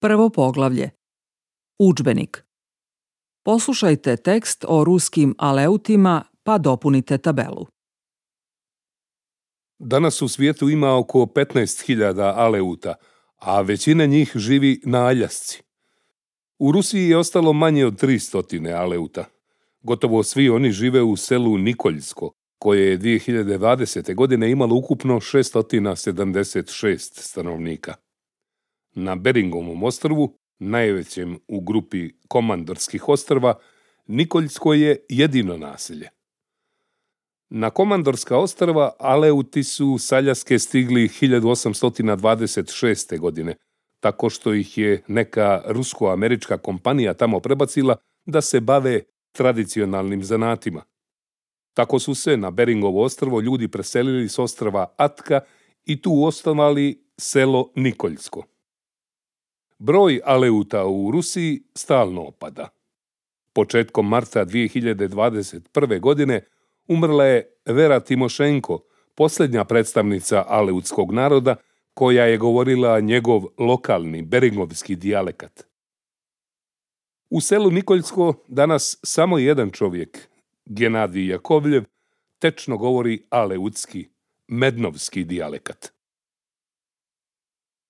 Prvo poglavlje. Udžbenik. Poslušajte tekst o ruskim aleutima pa dopunite tabelu. Danas u svijetu ima oko 15.000 aleuta, a većina njih živi na Aljasci. U Rusiji je ostalo manje od 300 aleuta. Gotovo svi oni žive u selu Nikoljsko, koje je 2020. godine imalo ukupno 676 stanovnika. Na Beringovom ostrvu, najvećem u grupi Komandorskih ostrva, Nikoljsko je jedino naselje. Na Komandorska ostrva aleuti su s Aljaske stigli 1826. godine, tako što ih je neka rusko-američka kompanija tamo prebacila da se bave tradicionalnim zanatima. Tako su se na Beringovo ostrvo ljudi preselili s ostrva Atka i tu osnovali selo Nikoljsko. Broj aleuta u Rusiji stalno opada. Početkom marta 2021. godine umrla je Vera Timošenko, posljednja predstavnica aleutskog naroda koja je govorila njegov lokalni beringovski dijalekat. U selu Nikoljsko danas samo jedan čovjek, Genadij Jakovljev, tečno govori aleutski, mednovski dijalekat.